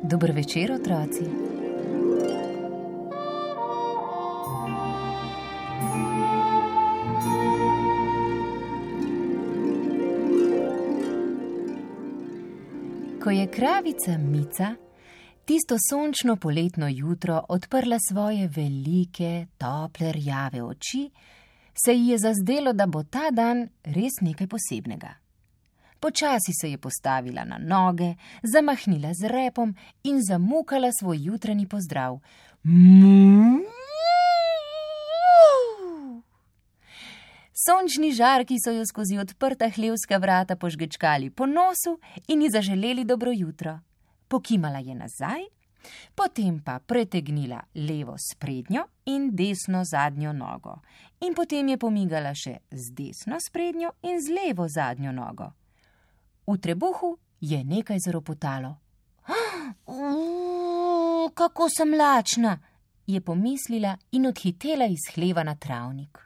Dober večer, otroci. Ko je kravica Mica tisto sončno poletno jutro odprla svoje velike, tople rjave oči, se ji je zazdelo, da bo ta dan res nekaj posebnega. Počasi se je postavila na noge, zamahnila z repom in zamukala svoj jutranji pozdrav. Sončni žarki so jo skozi odprta hlevska vrata požgečkali po nosu in ji zaželeli dobro jutro. Pokimala je nazaj, potem pa pretegnila levo sprednjo in desno zadnjo nogo. In potem je pomigala še z desno sprednjo in z levo zadnjo nogo. V trebuhu je nekaj zaropotalo. Kako sem lačna, je pomislila in odhitela iz hleva na travnik.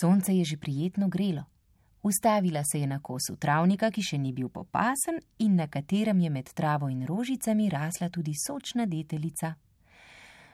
Sonce je že prijetno grelo. Ustavila se je na kosu travnika, ki še ni bil popasen in na katerem je med travo in rožicami rasla tudi sočna deteljica.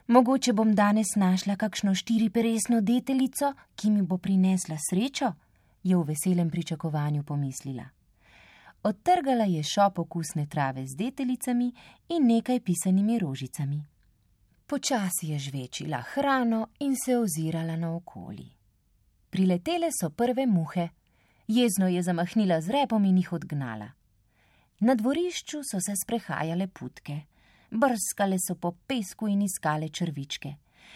Mogoče bom danes našla kakšno štiriperesno deteljico, ki mi bo prinesla srečo, je v veselem pričakovanju pomislila. Odtrgala je šop okusne trave z deteljicami in nekaj pisanimi rožicami. Počasi je žvečila hrano in se ozirala naokoli. Priletele so prve muhe. Jezno je zamahnila z repom in jih odgnala. Na dvorišču so se sprehajale putke. Brskale so po pesku in iskale črvičke.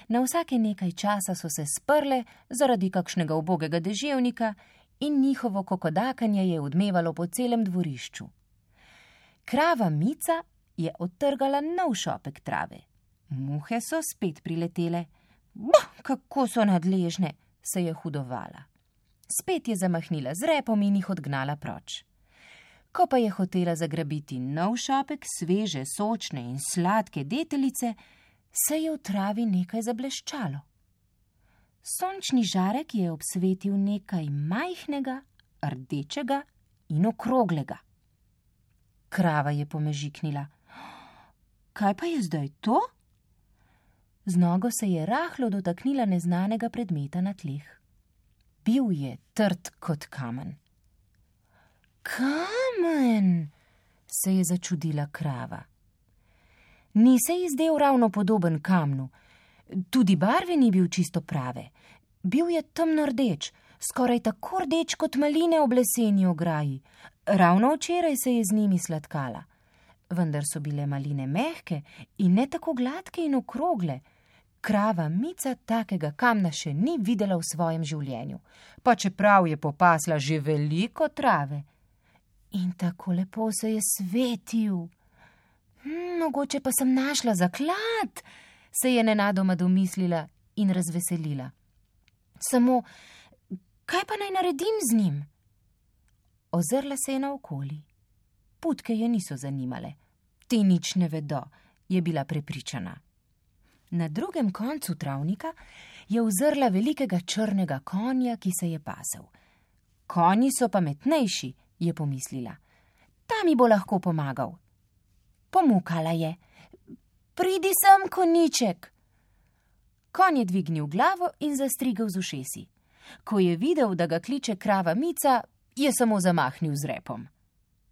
Na vsake nekaj časa so se sprle zaradi kakšnega ubogega deževnika in njihovo kokodakanje je odmevalo po celem dvorišču. Krava Mica je odtrgala nov šopek trave. Muhe so spet priletele. Kako so nadležne, se je hudovala. Spet je zamahnila z repom in jih odgnala proč. Ko pa je hotela zagrabiti nov šopek sveže, sočne in sladke deteljice, se je v travi nekaj zableščalo. Sončni žarek je obsvetil nekaj majhnega, rdečega in okroglega. Krava je pomežiknila. Kaj pa je zdaj to? Z nogo se je rahlo dotaknila neznanega predmeta na tleh. Bil je trd kot kamen. Kamen, se je začudila krava. Ni se ji zdel ravno podoben kamnu. Tudi barve ni bil čisto prave. Bil je temno rdeč, skoraj tako rdeč kot maline ob leseni ograji. Ravno včeraj se je z njimi sladkala. Vendar so bile maline mehke in ne tako gladke in okrogle. Krava Mica takega kamna še ni videla v svojem življenju, pa čeprav je popasla že veliko trave. In tako lepo se je svetil. Mogoče pa sem našla zaklad, se je nenadoma domislila in razveselila. Samo, kaj pa naj naredim z njim? Ozrla se je naokoli. Putke je niso zanimale. Te nič ne vedo, je bila prepričana. Na drugem koncu travnika je uzrla velikega črnega konja, ki se je pasel. Konji so pametnejši, je pomislila. Ta mi bo lahko pomagal. Pomukala je. Pridi sem, konjiček. Konj je dvignil glavo in zastrigel z ušesi. Ko je videl, da ga kliče krava Mica, je samo zamahnil z repom.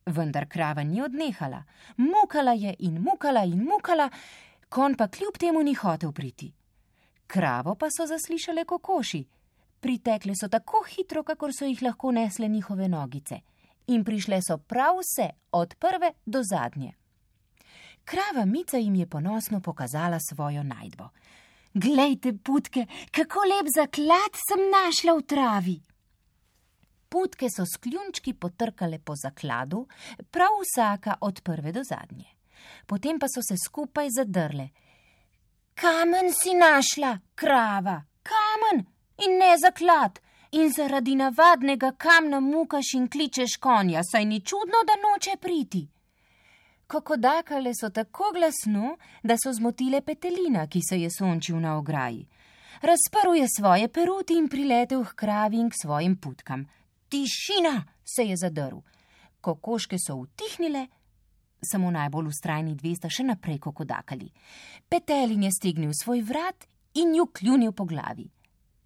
Vendar krava ni odnehala. Mukala je in mukala in mukala, konj pa kljub temu ni hotel priti. Kravo pa so zaslišale kokoši. Pritekle so tako hitro, kakor so jih lahko nesle njihove nogice. In prišle so prav vse, od prve do zadnje. Krava Mica jim je ponosno pokazala svojo najdbo. Glejte, putke, kako lep zaklad sem našla v travi. Putke so s kljunčki potrkale po zakladu, prav vsaka od prve do zadnje. Potem pa so se skupaj zadrle. Kamen si našla, krava, kamen in ne zaklad. In zaradi navadnega kamna mukaš in kličeš konja, saj ni čudno, da noče priti. Kokodakale so tako glasno, da so zmotile petelina, ki se je sončil na ograji. Razprl je svoje peruti in priletel h kravi in k svojim putkam. Tišina, se je zadrl. Kokoške so utihnile samo najbolj vztrajni dve sta še naprej kokodakali. Petelin je stegnil svoj vrat in ju kljunil po glavi.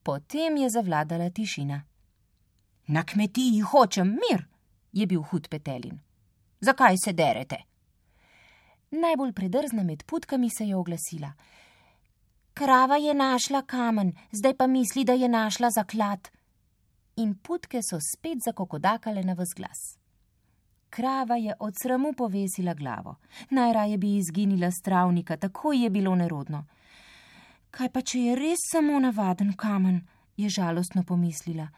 Potem je zavladala tišina. Na kmetiji hočem mir, je bil hud Petelin. Zakaj se derete? Najbolj predrzna med putkami se je oglasila. Krava je našla kamen, zdaj pa misli, da je našla zaklad. In putke so spet zakokodakale na ves glas. Krava je od sramu povesila glavo. Najraje bi izginila s travnika, tako je bilo nerodno. Kaj pa, če je res samo navaden kamen, je žalostno pomislila.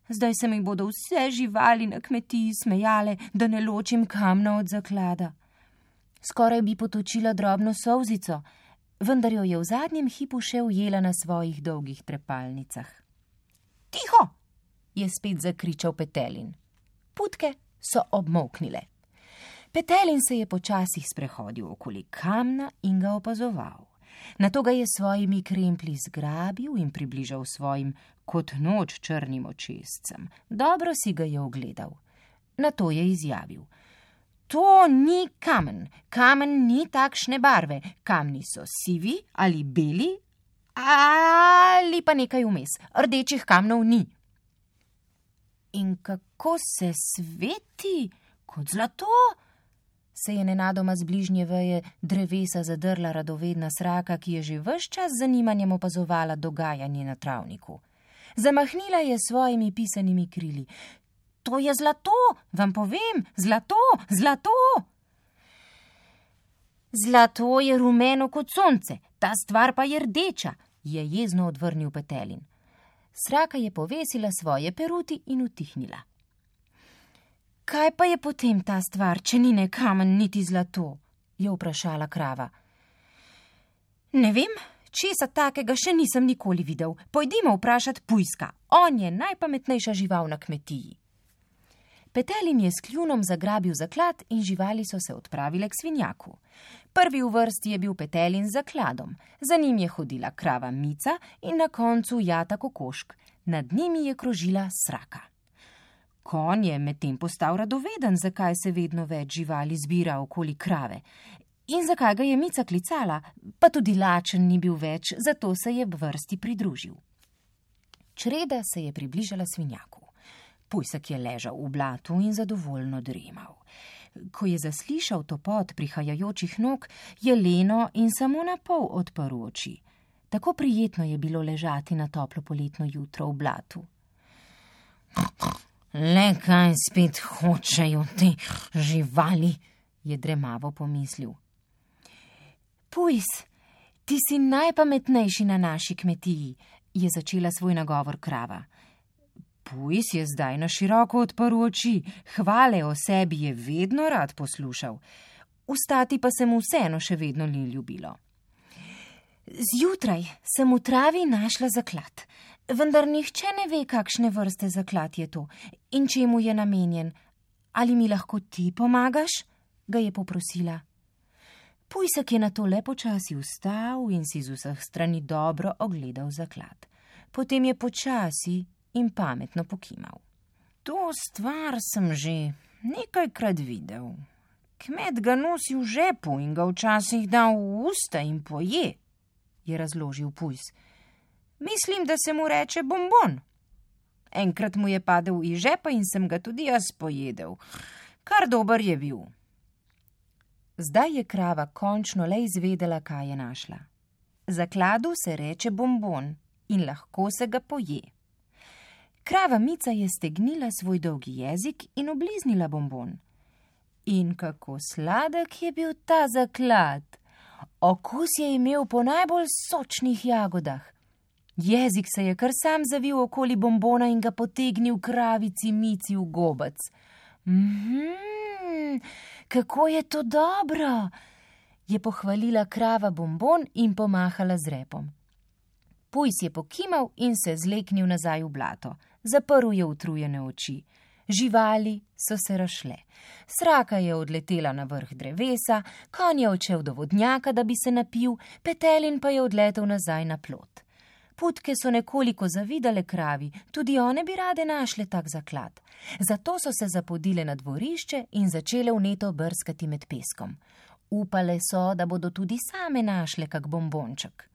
Zdaj se mi bodo vse živali na kmetiji smejale, da ne ločim kamna od zaklada. Skoraj bi potočila drobno solzico, vendar jo je v zadnjem hipu še ujela na svojih dolgih trepalnicah. Tiho, je spet zakričal Petelin. Putke so obmolknile. Petelin se je počasih sprehodil okoli kamna in ga opazoval. Nato ga je svojimi kremplji zgrabil in približal svojim kot noč črnim očescem. Dobro si ga je ogledal. Nato je izjavil. To ni kamen. Kamen ni takšne barve. Kamni so sivi ali beli ali pa nekaj vmes. Rdečih kamnov ni. In kako se sveti kot zlato? Se je nenadoma z bližnje veje drevesa zadrla radovedna sraka, ki je že ves čas z zanimanjem opazovala dogajanje na travniku. Zamahnila je svojimi pisanimi krili. To je zlato, vam povem, zlato, zlato! Zlato je rumeno kot sonce, ta stvar pa je rdeča, je jezno odvrnil Petelin. Sraka je povesila svoje peruti in utihnila. Kaj pa je potem ta stvar, če ni ne kamen niti zlato? Je vprašala krava. Ne vem, česa takega še nisem nikoli videl. Pojdimo vprašat Pujska, on je najpametnejša žival na kmetiji. Petelin je s kljunom zagrabil zaklad in živali so se odpravile k svinjaku. Prvi v vrsti je bil Petelin z zakladom, za njim je hodila krava Mica in na koncu Jata kokošk, nad njimi je krožila Sraka. Konj je medtem postal radoveden, zakaj se vedno več živali zbira okoli krave. In zakaj ga je Mica klicala, pa tudi lačen ni bil več, zato se je vrsti pridružil. Čreda se je približala svinjaku. Pujsek je ležal v blatu in zadovoljno dremal. Ko je zaslišal topot prihajajočih nog, je leno in samo na pol odprl oči. Tako prijetno je bilo ležati na toplo poletno jutro v blatu. Le kaj spet hočejo te živali, je dremavo pomislil. Pujs, ti si najpametnejši na naši kmetiji, je začela svoj nagovor krava. Pujs je zdaj na široko odprl oči, hvale o sebi je vedno rad poslušal. Vstati pa se mu vseeno še vedno ni ljubilo. Zjutraj sem v travi našla zaklad, vendar nihče ne ve, kakšne vrste zaklad je to in čemu je namenjen. Ali mi lahko ti pomagaš? Ga je poprosila. Pujsek je nato le počasi vstal in si z vseh strani dobro ogledal zaklad. Potem je počasi in pametno pokimal. To stvar sem že nekajkrat videl. Kmet ga nosi v žepu in ga včasih da v usta in poje, je razložil Pujs. Mislim, da se mu reče bombon. Enkrat mu je padel iz žepa in sem ga tudi jaz pojedel. Kar dober je bil. Zdaj je krava končno le izvedela, kaj je našla. Zakladu se reče bombon in lahko se ga poje. Krava Mica je stegnila svoj dolgi jezik in obliznila bombon. In kako sladek je bil ta zaklad! Okus je imel po najbolj sočnih jagodah. Jezik se je kar sam zavil okoli bombona in ga potegnil kravici Mici v gobec. Kako je to dobro, je pohvalila krava bombon in pomahala z repom. Pujs je pokimal in se zleknil nazaj v blato. Zaprl je utrujene oči. Živali so se razšle. Sraka je odletela na vrh drevesa, konj je odšel do vodnjaka, da bi se napil, Petelin pa je odletel nazaj na plot. Putke so nekoliko zavidale kravi, tudi one bi rade našle tak zaklad. Zato so se zapodile na dvorišče in začele vneto brskati med peskom. Upale so, da bodo tudi same našle kak bombonček.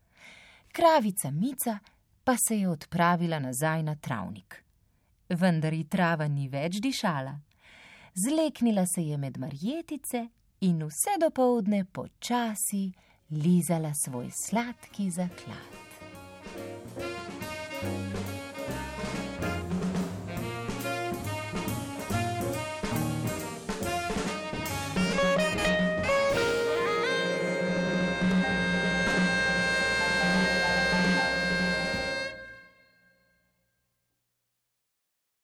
Kravica Mica pa se je odpravila nazaj na travnik. Vendar ji trava ni več dišala. Zleknila se je med marjetice in vse dopoldne počasi lizala svoj sladki zaklad.